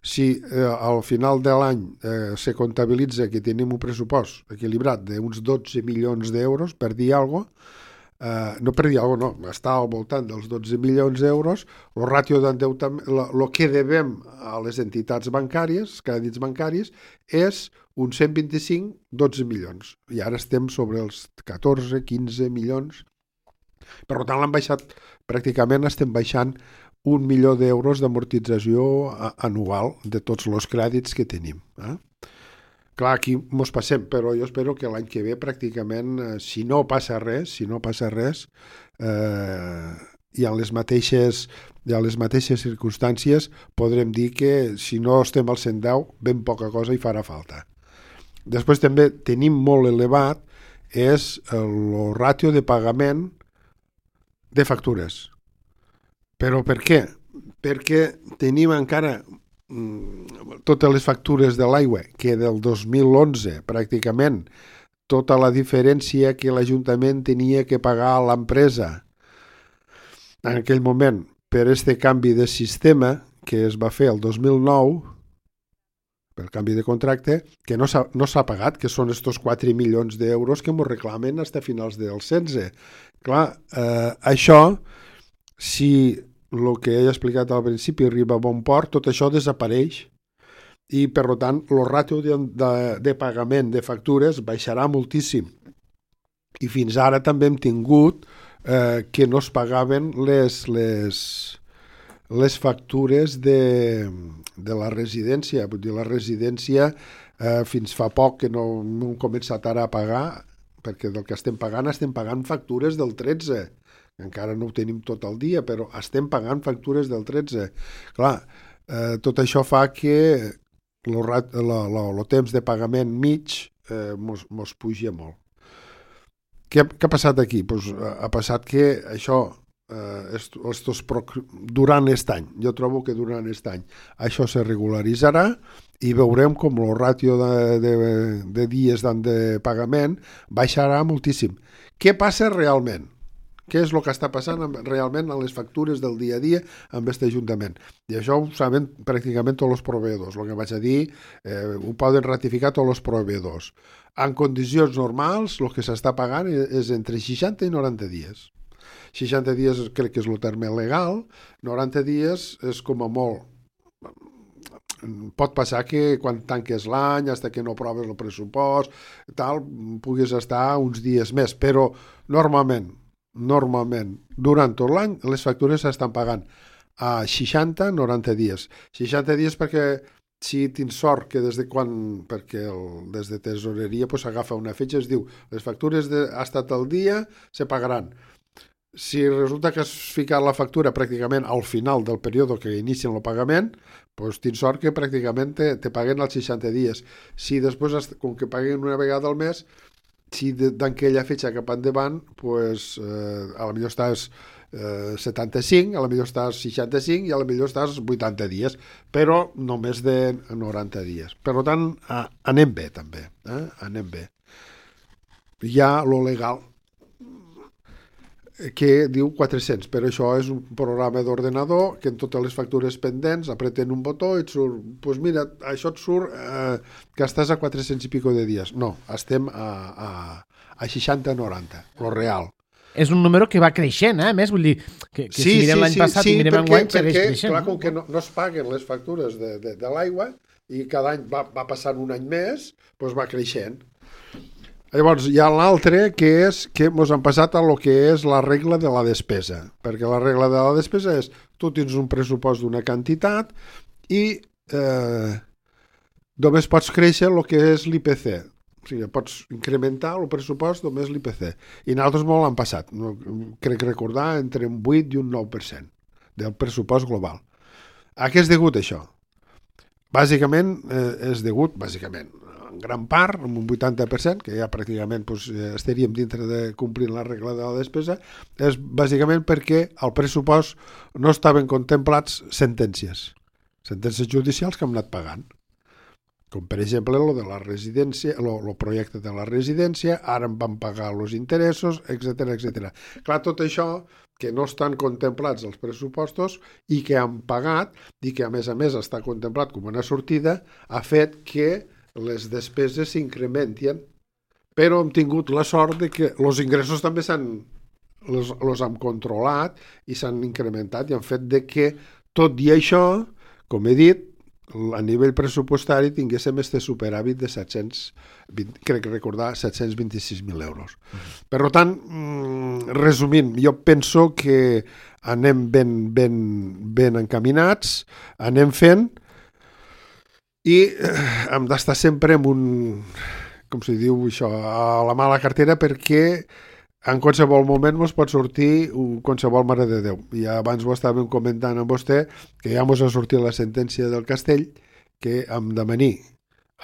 si eh, al final de l'any eh, se comptabilitza que tenim un pressupost equilibrat d'uns dotze milions d'euros, per dir alguna cosa, Uh, no per dir alguna cosa, no, està al voltant dels dotze milions d'euros, el ràtio d'endeutament, el que devem a les entitats bancàries, els crèdits bancaris, és un cent vint-i-cinc dotze milions. I ara estem sobre els catorze quinze milions. Per tant, l'han baixat, pràcticament estem baixant un milió d'euros d'amortització anual de tots els crèdits que tenim. Eh? Clar, aquí mos passem, però jo espero que l'any que ve pràcticament, eh, si no passa res, si no passa res, eh, i en les mateixes, i en les mateixes circumstàncies podrem dir que si no estem al cent deu, ben poca cosa hi farà falta. Després també tenim molt elevat és el ràtio de pagament de factures. Però per què? Perquè tenim encara totes les factures de l'aigua, que del dos mil onze pràcticament tota la diferència que l'Ajuntament tenia que pagar a l'empresa en aquell moment per este canvi de sistema que es va fer el dos mil nou, per canvi de contracte, que no s'ha, no s'ha pagat, que són estos quatre milions d'euros que ens reclamen fins a finals del setze. Clar, eh, això, si el que he explicat al principi arriba a bon port, tot això desapareix i, per tant, el ràtio de, de, de pagament de factures baixarà moltíssim. I fins ara també hem tingut eh, que no es pagaven les, les, les factures de, de la residència. Vull dir, la residència eh, fins fa poc que no, no hem començat ara a pagar, perquè del que estem pagant estem pagant factures del tretze. Encara no ho tenim tot el dia, però estem pagant factures del tretze. Clar, eh, tot això fa que el temps de pagament mig eh, mos, mos puja molt. Què, què ha passat aquí? Pues, ha passat que això, eh, estos, durant aquest any, jo trobo que durant aquest any, això se regularitzarà i veurem com el ràtio de, de, de dies de pagament baixarà moltíssim. Què passa realment? Què és el que està passant realment en les factures del dia a dia amb aquest Ajuntament? I això ho saben pràcticament tots els proveïdors. El que vaig a dir, eh, ho poden ratificar tots els proveïdors. En condicions normals, el que s'està pagant és entre seixanta i noranta dies. seixanta dies crec que és el terme legal, noranta dies és com a molt. Pot passar que quan tanques l'any, fins que no proves el pressupost, tal, puguis estar uns dies més, però normalment, normalment, durant tot l'any, les factures s'estan pagant a seixanta a noranta dies. seixanta dies perquè si tens sort que des de quan, perquè el, des de tesoreria pues, s'agafa una fetge, es diu, les factures de, ha estat el dia, se pagaran. Si resulta que has ficat la factura pràcticament al final del període que inicien el pagament, doncs tens sort que pràcticament te, te paguen als seixanta dies. Si després, com que paguen una vegada al mes, si d'aquella fetge cap endavant, pues, eh, a la millor estàs eh, setanta-cinc, a la millor estàs seixanta-cinc i a la millor estàs vuitanta dies, però només de noranta dies. Per tant, eh, anem bé també, eh? anem bé. Hi ha lo legal, que diu quatre-cents, però això és un programa d'ordenador que en totes les factures pendents apreten un botó i et surt, doncs pues mira, això et surt eh, que estàs a quatre-cents i pico de dies. No, estem a, a, a seixanta a noranta, lo real. és un número que va creixent, eh? A més, vull dir, que, que sí, si mirem sí, l'any sí, passat sí, i mirem perquè, enguany, segueix perquè, creixent. clar, com que no, no es paguen les factures de, de, de l'aigua i cada any va, va passant un any més, doncs va creixent. Llavors, hi ha l'altre, que és que ens han passat a lo que és la regla de la despesa, perquè la regla de la despesa és tu tens un pressupost d'una quantitat i eh, només pots créixer el que és l'I P C. O sigui, pots incrementar el pressupost només l'I P C. I nosaltres molt l'han passat, no, crec recordar, entre un vuit i un nou per cent del pressupost global. A què és degut això? Bàsicament eh, és degut, bàsicament, en gran part, amb un vuitanta per cent, que ja pràcticament doncs, estaríem dintre de complir la regla de la despesa, és bàsicament perquè al pressupost no estaven contemplats sentències, sentències judicials que hem anat pagant. Com per exemple lo de la residència, lo, lo projecte de la residència, ara em van pagar els interessos, etcètera, etcètera. Clar, tot això que no estan contemplats els pressupostos i que han pagat i que a més a més està contemplat com una sortida, ha fet que les despeses s'incrementen, però hem tingut la sort de que els ingressos també s'han los, los han controlat i s'han incrementat i han fet de que tot i això, com he dit, a nivell pressupostari tinguéssim este superàvit de set-cents vint, crec recordar set-cents vint-i-sis mil euros. Per tant, resumint, jo penso que anem ben, ben, ben encaminats, anem fent i hem d'estar sempre amb un, com se diu això, a la mà a la cartera, perquè en qualsevol moment ens pot sortir un, qualsevol mare de Déu. I abans ho estàvem comentant amb vostè, que ja ens ha sortit la sentència del Castell, que hem de venir.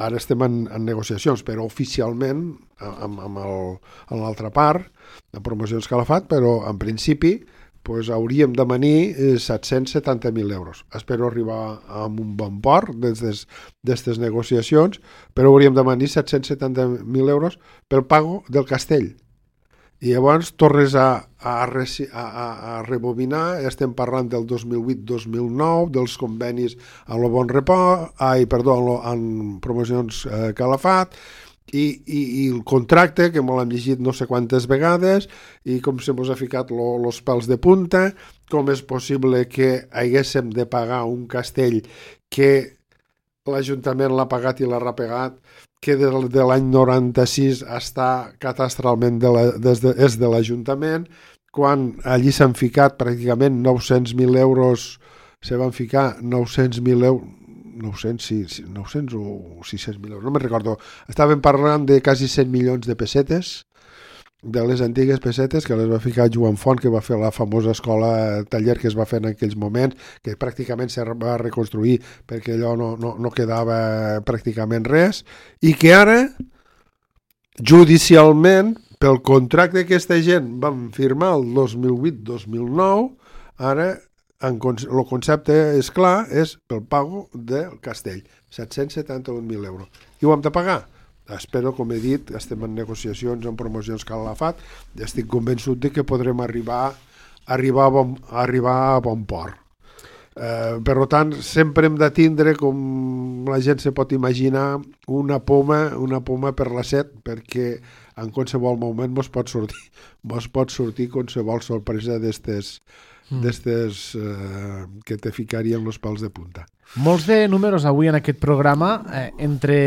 Ara estem en, en negociacions, però oficialment, amb, amb, el, amb l'altra part, en promocions que l'ha fet, però en principi pues, hauríem de venir set-cents setanta mil euros. Espero arribar amb un bon port d'aquestes negociacions, però hauríem de venir set-cents setanta mil euros pel pago del Castell. I llavors tornes a, a, a, a rebobinar, estem parlant del dos mil vuit dos mil nou, dels convenis a lo Bon Repòs, ai, perdó, en, lo, en promocions eh, Calafat, i, i, i el contracte, que me l'hem llegit no sé quantes vegades, i com se mos ha ficat els pèls de punta, com és possible que haguéssim de pagar un castell que l'Ajuntament l'ha pagat i l'ha repagat, que de, de l'any noranta-sis està catastralment de la, des de, és de l'Ajuntament, quan allí s'han ficat pràcticament nou-cents mil euros, se van ficar nou-cents mil euros, nou-cents, sí, sí, nou-cents o sis-cents mil euros, no me'n recordo. Estàvem parlant de quasi cent milions de pessetes, de les antigues pessetes que les va ficar Joan Font, que va fer la famosa escola taller que es va fer en aquells moments, que pràcticament se va reconstruir perquè allò no, no, no quedava pràcticament res, i que ara, judicialment, pel contracte que aquesta gent van firmar el dos mil vuit dos mil nou, ara el concepte és clar, és pel pago del castell, set-cents setanta-un mil euros. I ho hem de pagar? Espero, com he dit, estem en negociacions, en promocions que l'ha fet, i estic convençut de que podrem arribar, arribar, a, bon, arribar a bon port. Eh, per tant, sempre hem de tindre, com la gent se pot imaginar, una poma, una poma per la set, perquè en qualsevol moment mos pot sortir, mos pot sortir qualsevol sorpresa d'estes mm. d'estes eh, que te ficarien els pals de punta. Molts de números avui en aquest programa, eh, entre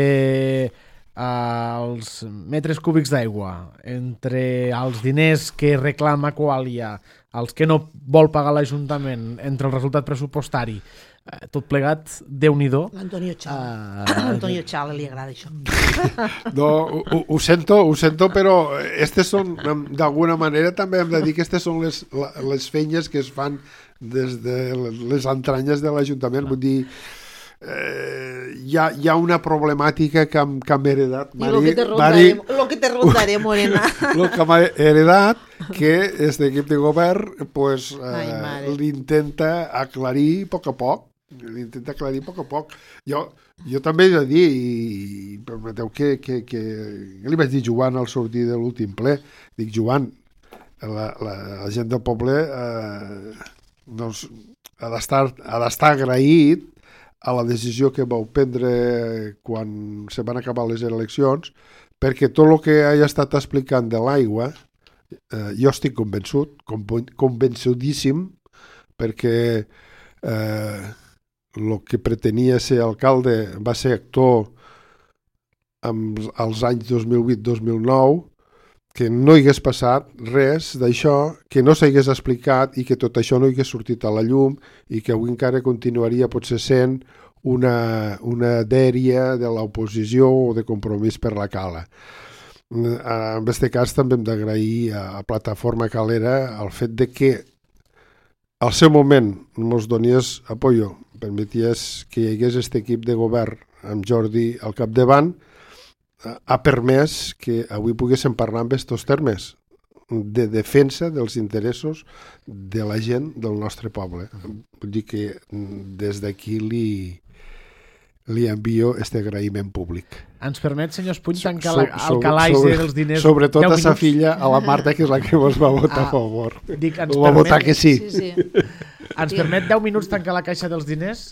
els metres cúbics d'aigua, entre els diners que reclama Qualia, els que no vol pagar l'Ajuntament, entre el resultat pressupostari, eh, tot plegat, Déu-n'hi-do. L'Antonio Chala. Uh, L'Antonio Chala li agrada això. No, ho, ho sento, ho sento, però estes són, d'alguna manera també hem de dir que aquestes són les, les feines que es fan des de les entranyes de l'Ajuntament, vull dir, Eh, hi, ha, hi ha una problemàtica que hem, que hem heredat, Mari, lo que te rondaré, Mari, lo que te rondaré, Morena. Lo que m'ha heredat, que este equip de govern pues, eh, l'intenta aclarir a poc a poc, l'intenta aclarir a poc a poc. Jo, jo també he de dir, i permeteu que, que, que li vaig dir Joan al sortir de l'últim ple, dic Joan, la, la, la gent del poble eh, doncs, ha d'estar ha d'estar agraït a la decisió que vau prendre quan se van acabar les eleccions, perquè tot el que he estat explicant de l'aigua Eh, jo estic convençut, convençudíssim, perquè eh, el que pretenia ser alcalde va ser actor amb, als anys dos mil vuit dos mil nou, que no hi hagués passat res d'això, que no s'hagués explicat i que tot això no hi hagués sortit a la llum i que avui encara continuaria potser sent una, una dèria de l'oposició o de compromís per la cala. En aquest cas també hem d'agrair a Plataforma Calera el fet de que al seu moment ens donies apoyo, permeties que hi hagués aquest equip de govern amb Jordi al capdavant, ha permès que avui poguéssim parlar amb aquests termes de defensa dels interessos de la gent del nostre poble. Vull dir que des d'aquí li, li envio aquest agraïment públic. Ens permet, senyor Espuny, tancar So- el sobre- calaix sobre- dels diners Sobretot deu a sa minuts? filla, a la Marta, que és la que ens va votar Ah, a favor. Dic, ens Va votar permet, que sí. Sí, sí. ens permet deu minuts tancar la caixa dels diners?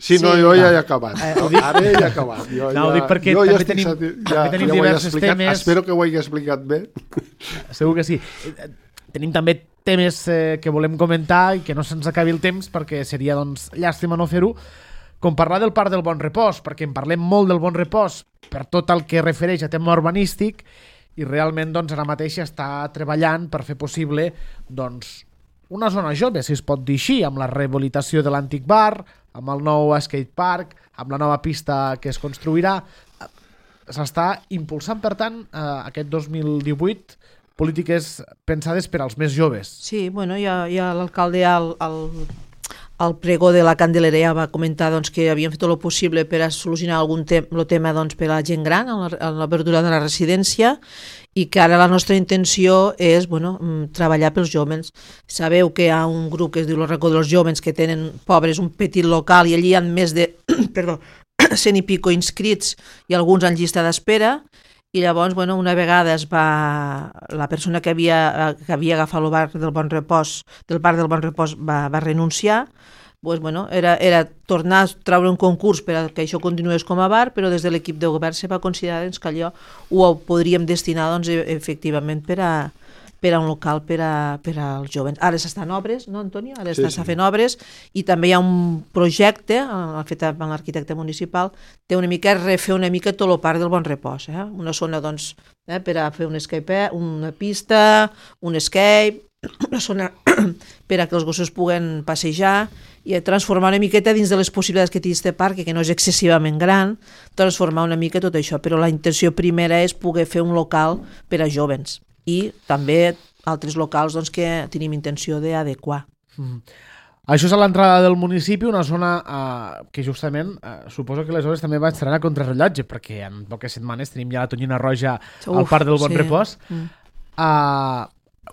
Sí, no, Sí. jo ja he acabat. Eh, ho dic- Ara ja he acabat. Jo No, ho ja, dic perquè jo ja també estic tenim- sati- també ja, tenim ja ho he diversos explicat. temes. Espero que ho hagi explicat bé. Segur que sí. Eh, Tenim també temes eh, que volem comentar i que no se'ns acabi el temps perquè seria doncs, llàstima no fer-ho, com parlar del Parc del Bon Repòs, perquè en parlem molt del Bon Repòs per tot el que refereix a tema urbanístic i realment doncs, ara mateix està treballant per fer possible doncs, una zona jove, si es pot dir així, amb la rehabilitació de l'antic bar, amb el nou skatepark, amb la nova pista que es construirà. S'està impulsant, per tant, eh, aquest dos mil divuit polítiques pensades per als més joves. Sí, bueno, ja, ja l'alcalde al, al, al pregó de la Candelera ja va comentar doncs, que havien fet tot el possible per a solucionar algun tem el tema doncs, per a la gent gran, en l'obertura de la residència, i que ara la nostra intenció és bueno, treballar pels jóvens. Sabeu que hi ha un grup que es diu el Racó dels Jóvens que tenen pobres un petit local i allí hi ha més de perdó, cent i pico inscrits i alguns en llista d'espera. I llavors, bueno, una vegada es va, la persona que havia, que havia agafat el bar del Bon Repòs, del bar del Bon Repòs va, va renunciar, pues, bueno, era, era tornar a treure un concurs per a que això continués com a bar, però des de l'equip de govern se va considerar doncs, que allò ho podríem destinar doncs, efectivament per a, per a un local per, a, per als jovens. Ara s'estan obres, no, Antonio? Ara Sí, s'està sí. fent obres i també hi ha un projecte, eh, fet amb l'arquitecte municipal, té una mica refer una mica tot el parc del Bon Repòs. Eh? Una zona doncs, eh, per a fer un escape, una pista, un escape, una zona per a que els gossos puguen passejar i transformar una miqueta dins de les possibilitats que té aquest parc, que no és excessivament gran, transformar una mica tot això. Però la intenció primera és poder fer un local per a jovens i també altres locals doncs, que tenim intenció d'adequar. Mm. Això és a l'entrada del municipi, una zona eh, que justament eh, suposo que les obres també van estar a contrarrellotge, perquè en poques setmanes tenim ja la tonyina roja al Uf, Parc del Bon sí. Repòs. Mm. Uh,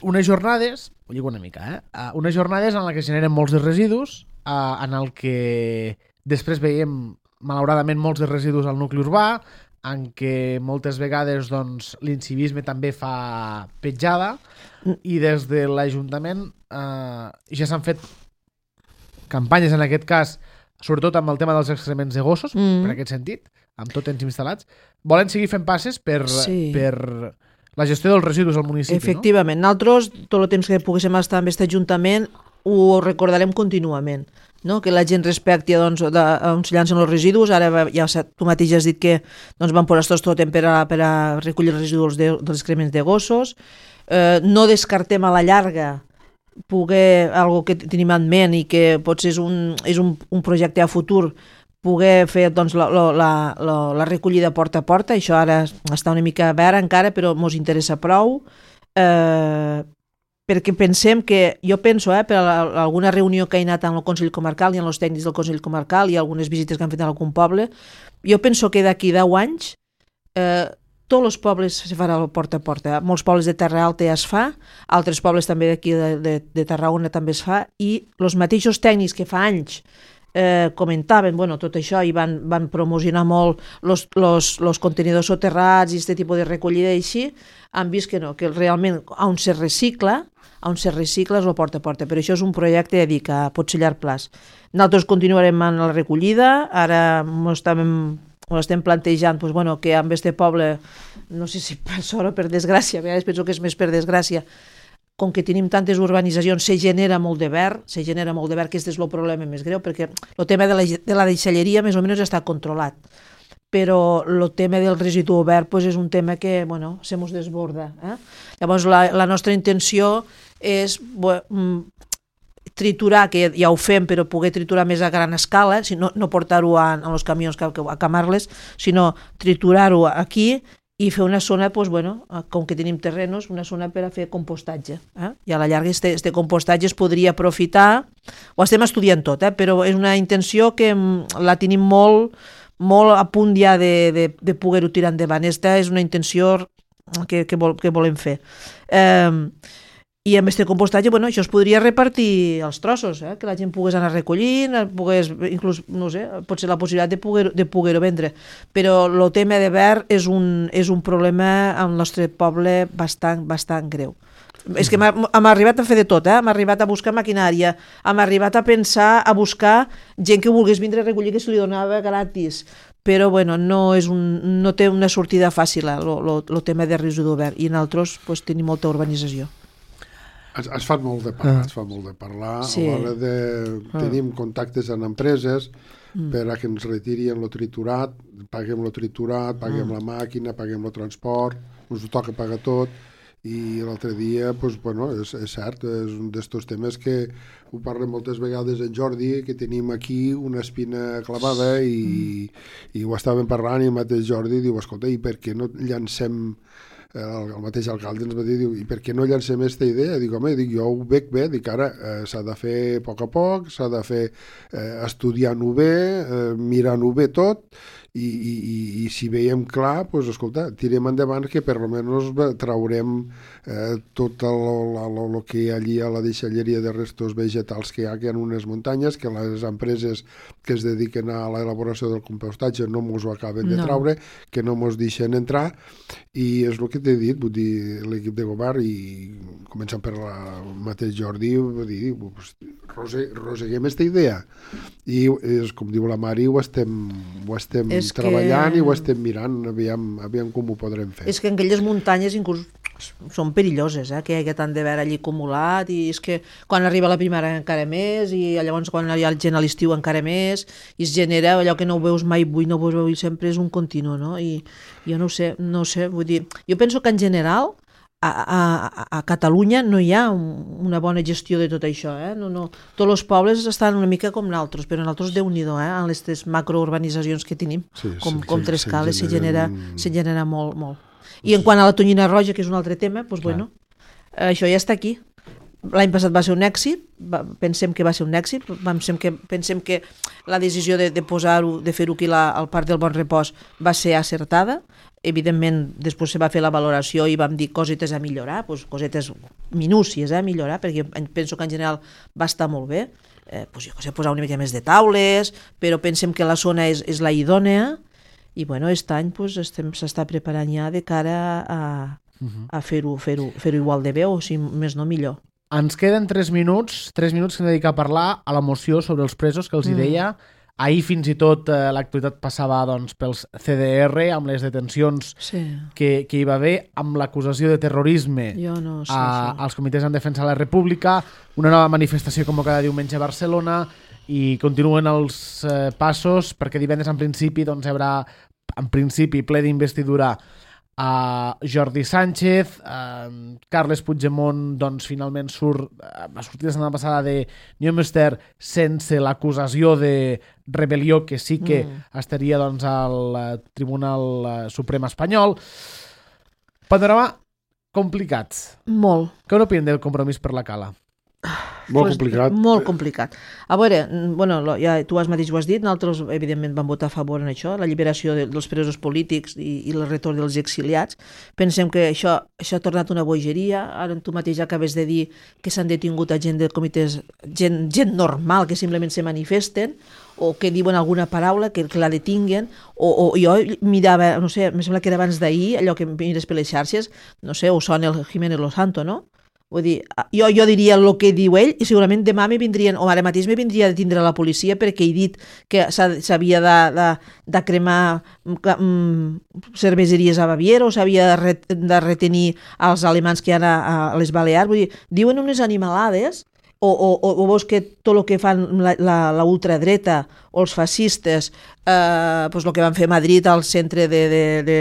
unes jornades, ho lligo una mica, eh? Uh, unes jornades en què es generen molts de residus, uh, en el que després veiem malauradament molts de residus al nucli urbà, en què moltes vegades doncs, l'incivisme també fa petjada i des de l'Ajuntament eh, ja s'han fet campanyes en aquest cas, sobretot amb el tema dels excrements de gossos, Mm. per aquest sentit, amb tot temps instal·lats. Volen seguir fent passes per, Sí. per la gestió dels residus al municipi, Efectivament, nosaltres tot el temps que poguéssim estar amb aquest Ajuntament ho recordarem contínuament, no? Que la gent respecti doncs, de, on se llancen els residus. Ara va- ja s'ha- tu mateix has dit que doncs, van posar estos totem per a, per a recollir els residus de, dels excrements de gossos. Eh, no descartem a la llarga poder, algo que tenim en ment i que potser és un, és un, un projecte a futur, poder fer doncs, la, la, la, la, la recollida porta a porta. Això ara està una mica verd encara, però ens interessa prou. Eh, perquè pensem que, jo penso, eh, per a alguna reunió que he anat amb el Consell Comarcal i amb els tècnics del Consell Comarcal i algunes visites que han fet en algun poble, jo penso que d'aquí deu anys eh, tots els pobles se farà el porta a porta. Molts pobles de Terra Alta ja es fa, altres pobles també d'aquí de, de, de Tarragona també es fa, i els mateixos tècnics que fa anys eh, comentaven bueno, tot això i van, van promocionar molt els contenidors soterrats i aquest tipus de recollida i així, han vist que no, que realment on se recicla, on se recicla és el porta a porta, però això és un projecte de dir que pot ser llarg plaç. Nosaltres continuarem amb la recollida, ara ens estàvem ho estem plantejant, doncs, bueno, que amb este poble, no sé si per sort o per desgràcia, a vegades penso que és més per desgràcia, com que tenim tantes urbanitzacions, se genera molt de verd, se genera molt de verd, que aquest és el problema més greu, perquè el tema de la, de la deixalleria més o menys està controlat, però el tema del residu verd pues, és un tema que, bueno, se mos desborda. Eh? Llavors, la, la nostra intenció és bueno, triturar, que ja ho fem, però poder triturar més a gran escala, si no, no portar-ho a, a els camions a, a camar-les, sinó triturar-ho aquí i fer una zona, doncs, bueno, com que tenim terrenos, una zona per a fer compostatge. Eh? I a la llarga este, este compostatge es podria aprofitar, ho estem estudiant tot, eh? Però és una intenció que la tenim molt, molt a punt ja de, de, de poder-ho tirar endavant. Esta és una intenció que, que, vol, que volem fer. Eh, I amb aquest compostatge, bueno, això es podria repartir els trossos, eh? Que la gent pogués anar recollint, pogués, inclús, no sé, pot ser la possibilitat de poder-ho de poder vendre. Però el tema de verd és un, és un problema al nostre poble bastant, bastant greu. És que hem arribat a fer de tot, eh? Hem arribat a buscar maquinària, hem arribat a pensar, a buscar gent que volgués vindre a recollir que se li donava gratis, però bueno, no, és un, no té una sortida fàcil el tema de residu verd, i nosaltres pues, tenim molta urbanització. Es, es fa molt de parlar, es fa molt de parlar, sí. A l'hora de... Tenim contactes amb empreses mm. per a que ens retirin el triturat, paguem el triturat, paguem mm. la màquina, paguem el transport, ens ho toca pagar tot, i l'altre dia, pues, bueno, és, és cert, és un d'estos temes que ho parlem moltes vegades en Jordi, que tenim aquí una espina clavada i, mm. i ho estàvem parlant i el mateix Jordi diu, escolta, i per què no llancem... El, el mateix alcalde ens va dir, diu, i per què no llancem aquesta idea? Dic, home, dic, jo ho veig bé, dic, ara eh, s'ha de fer a poc a poc, s'ha de fer eh, estudiant-ho bé, eh, mirant-ho bé tot, i, i, i, i si veiem clar, doncs, escolta, tirem endavant que per almenys traurem eh, tot el que hi ha allí a la deixalleria de restos vegetals que hi ha, que hi ha en unes muntanyes, que les empreses que es dediquen a l'elaboració del compostatge no mos ho acaben de no. traure, que no mos deixen entrar, i és el que t'he dit, vull dir, l'equip de govern, i començant per el mateix Jordi, vull dir, rose, roseguem aquesta idea, i és, com diu la Mari, ho estem, ho estem treballant que... i ho estem mirant, aviam, aviam com ho podrem fer. És que en aquelles muntanyes inclús són perilloses, eh? Que hi ha tant de verd allí acumulat, i és que quan arriba la primavera encara més, i llavors quan hi ha gent a l'estiu encara més, i es genera allò que no ho veus mai avui, no ho veus avui, sempre és un continu, no? I jo no ho sé, no ho sé, vull dir, jo penso que en general a, a, a Catalunya no hi ha un, una bona gestió de tot això, eh? No, no. Tots els pobles estan una mica com nosaltres, però nosaltres Déu-n'hi-do, eh? En les macrourbanitzacions que tenim, sí, com, sí, com sí, Trescales, se genera, se genera molt, molt. I sí. En quant a la tonyina roja, que és un altre tema, doncs, bueno, això ja està aquí. L'any passat va ser un èxit, va, pensem que va ser un èxit, pensem que, pensem que la decisió de, de posar-ho, de fer-ho aquí la, al Parc del Bon Repòs va ser acertada. Evidentment, després se va fer la valoració i vam dir cosetes a millorar, doncs cosetes minúcies a millorar, perquè penso que en general va estar molt bé. Eh, doncs jo sé, posar una mica més de taules, però pensem que la zona és, és la idònea, i bueno, aquest any doncs, estem, s'està preparant ja de cara a, a fer-ho fer-ho fer-ho igual de bé, o si més no millor. Ens queden tres minuts, tres minuts que hem dedicat a parlar a la moció sobre els presos que els hi deia. Mm. Ahir fins i tot eh, l'actualitat passava doncs, pels C D R, amb les detencions sí. que, que hi va haver, amb l'acusació de terrorisme no sé, a, sí. als comitès en defensa de la República, una nova manifestació convocada diumenge a Barcelona, i continuen els eh, passos, perquè divendres en principi doncs, hi haurà en principi ple d'investidura a Jordi Sánchez. uh, Carles Puigdemont doncs, finalment surt, uh, va sortir la setmana passada de Neumünster sense l'acusació de rebel·lió, que sí que mm. estaria doncs, al uh, Tribunal uh, Suprem espanyol. Panorama complicat. Molt. Què n'opinen del Compromís per la Cala? Molt complicat. Molt complicat. A veure, bueno, ja tu has mateix ho has dit, nosaltres evidentment vam votar a favor en això, la lliberació de, dels presos polítics i, i el retorn dels exiliats. Pensem que això, això ha tornat una bogeria. Ara tu mateix acabes de dir que s'han detingut a gent de comitès, gent, gent normal que simplement se manifesten o que diuen alguna paraula que, que la detinguen, o, o jo mirava, no sé, em sembla que era abans d'ahir, allò que mires per les xarxes, no sé, o sona el Jiménez Losanto, no? Vull dir, jo, jo diria el que diu ell i segurament demà me vindrien, o ara mateix me vindria de tindre la policia perquè he dit que s'havia de, de, de cremar mm, cerveseries a Baviera o s'havia de, re, de retenir els alemans que hi ha a, a les Balears. Vull dir, diuen unes animalades o, o, o veus que tot el que fan la, la, la ultradreta o els fascistes, eh, pues el que van fer a Madrid al centre de... de, de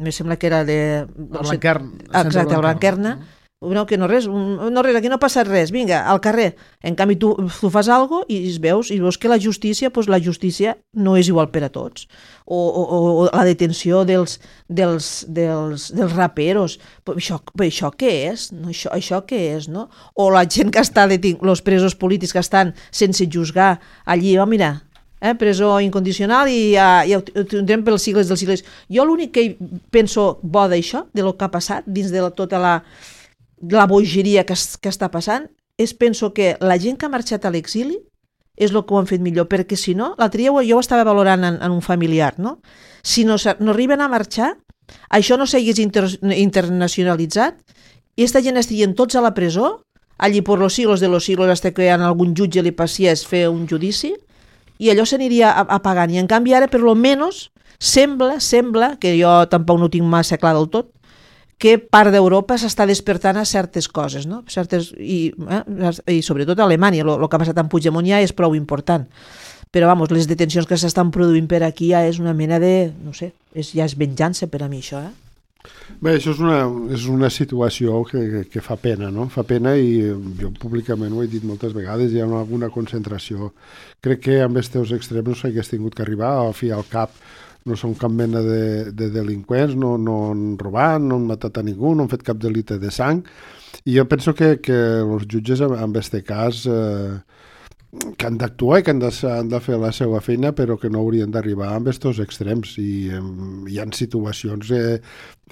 me sembla que era de... El Blanquern. Exacte, el Blanquerna. No, que no res, no res, aquí no ha passat res, vinga, al carrer. En canvi, tu, tu fas alguna cosa i veus, i veus que la justícia, pues, la justícia no és igual per a tots. O, o, o la detenció dels, dels, dels, dels raperos. Però això, però això què és? No, això, això què és, no? O la gent que està detingut, els presos polítics que estan sense juzgar allí, oh, mira, eh, presó incondicional i ja, ja ho tindrem pels sigles dels sigles. Jo l'únic que penso bo d'això, de lo que ha passat, dins de la, tota la la bogeria que, es, que està passant, és penso que la gent que ha marxat a l'exili és el que ho han fet millor, perquè si no, l'altre dia jo ho estava valorant en, en un familiar, no? Si no, no arriben a marxar, això no s'hagués inter, internacionalitzat i aquesta gent estarien tots a la presó, allí per los siglos de los siglos, hasta que a algun jutge li passiés fer un judici, i allò s'aniria apagant. I en canvi ara, per lo menos, sembla, sembla, que jo tampoc no ho tinc massa clar del tot, que part d'Europa s'està despertant a certes coses, no? Certes, i, eh, i sobretot a Alemanya, el que ha passat amb Puigdemont ja és prou important. Però, vamos, les detencions que s'estan produint per aquí ja és una mena de, no sé, és, ja és venjança per a mi, això, eh? Bé, això és una, és una situació que, que, que fa pena, no? Fa pena i jo públicament ho he dit moltes vegades, hi ha una, una concentració. Crec que amb els teus extrems no s'hagués tingut que arribar, al fi al cap no són cap mena de, de delinqüents, no, no han robat, no han matat a ningú, no han fet cap delicte de sang, i jo penso que, que els jutges en aquest cas eh, que han d'actuar i que han de, han de fer la seva feina, però que no haurien d'arribar amb aquests extrems, i eh, hi ha situacions eh,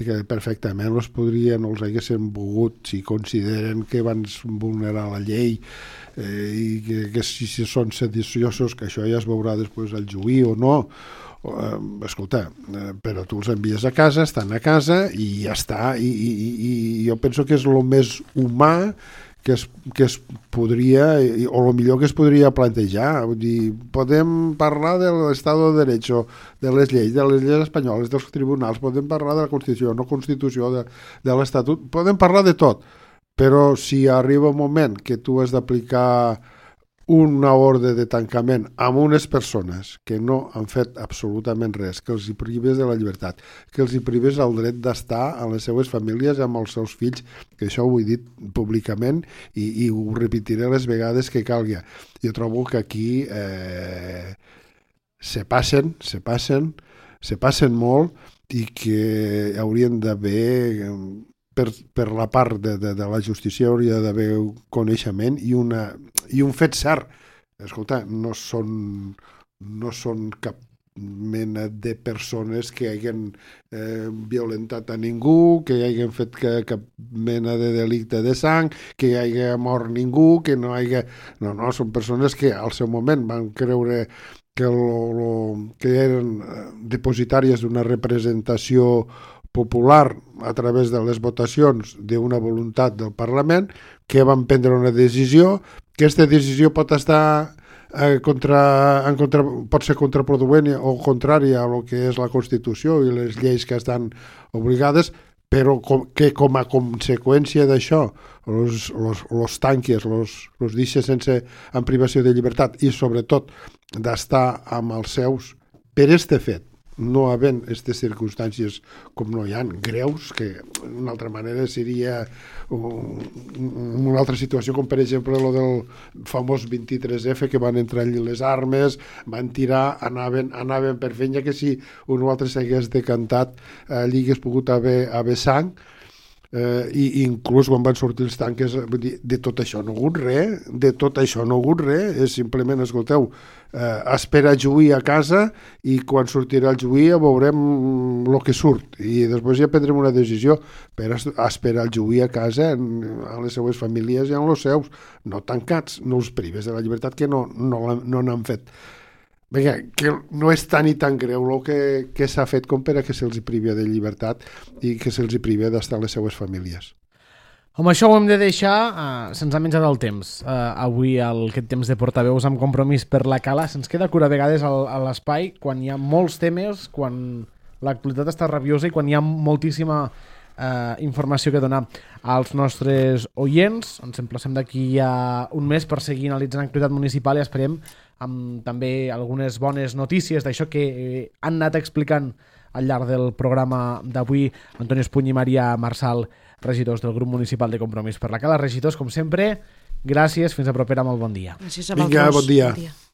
que perfectament els podrien, els haguessin volgut, si consideren que van vulnerar la llei, eh, i que, que si, si són sediciosos, que això ja es veurà després al juí o no. Uh, escolta, uh, però tu els envies a casa, estan a casa i ja està, i, i, i, i jo penso que és el més humà que es, que es podria, o el millor que es podria plantejar. Vull dir, podem parlar de l'estat de derecho, de les lleis, de les lleis espanyoles, dels tribunals, podem parlar de la Constitució, no Constitució, de, de l'Estatut, podem parlar de tot, però si arriba un moment que tu has d'aplicar una ordre de tancament amb unes persones que no han fet absolutament res, que els hi prives de la llibertat, que els hi prives el dret d'estar amb les seues famílies, amb els seus fills, que això ho he dit públicament i, i ho repetiré les vegades que calgui. Jo trobo que aquí eh, se passen, se passen, se passen molt i que haurien d'haver... Per, per la part de, de, de la justícia hauria d'haver coneixement i, una, i un fet cert. Escolta, no són, no són cap mena de persones que hagin eh, violentat a ningú, que hagin fet que, cap mena de delicte de sang, que hi hagi mort ningú, que no hagi... No, no, són persones que al seu moment van creure que, lo, lo, que eren depositàries d'una representació popular a través de les votacions d'una voluntat del Parlament, que van prendre una decisió, que aquesta decisió pot estar eh, contra, en contra, pot ser contraproduent o contrària a lo que és la Constitució i les lleis que estan obligades, però com, que com a conseqüència d'això los, los, los tanques, los, los deixa sense en privació de llibertat i sobretot d'estar amb els seus per este fet, no havent aquestes circumstàncies com no hi ha, greus, que d'una altra manera seria una altra situació, com per exemple el del famós vint-i-tres efa, que van entrar allí les armes, van tirar, anaven, anaven per feina, que si un o altre s'hagués decantat, allí hagués pogut haver, haver sang, eh, i inclús quan van sortir els tanques, de, de tot això no ha hagut res, de tot això no ha hagut res, és simplement, escolteu, eh, espera juí a casa i quan sortirà el juí veurem el que surt i després ja prendrem una decisió, per esperar el juí a casa a les seues famílies i amb els seus, no tancats, no els prives de la llibertat, que no, no, no n'han fet. Vinga, que no és tan i tan greu el que, que s'ha fet com per a que se'ls privi de llibertat i que se'ls privi d'estar a les seues famílies. Amb això ho hem de deixar, uh, se'ns ha menjat el temps. Uh, avui el, aquest temps de portaveus amb Compromís per la Cala se'ns queda cura a vegades al, a l'espai quan hi ha molts temes, quan l'actualitat està rabiosa i quan hi ha moltíssima uh, informació que donar als nostres oients. Ens emplacem d'aquí a un mes per seguir analitzant l'actualitat municipal i esperem amb també algunes bones notícies d'això que eh, han anat explicant al llarg del programa d'avui Antoni Espuny i Maria Marsal, regidors del grup municipal de Compromís per la Cala. Regidors, com sempre, gràcies, fins a propera, molt bon dia. Gràcies a Vinga, vosaltres. bon dia. Bon dia.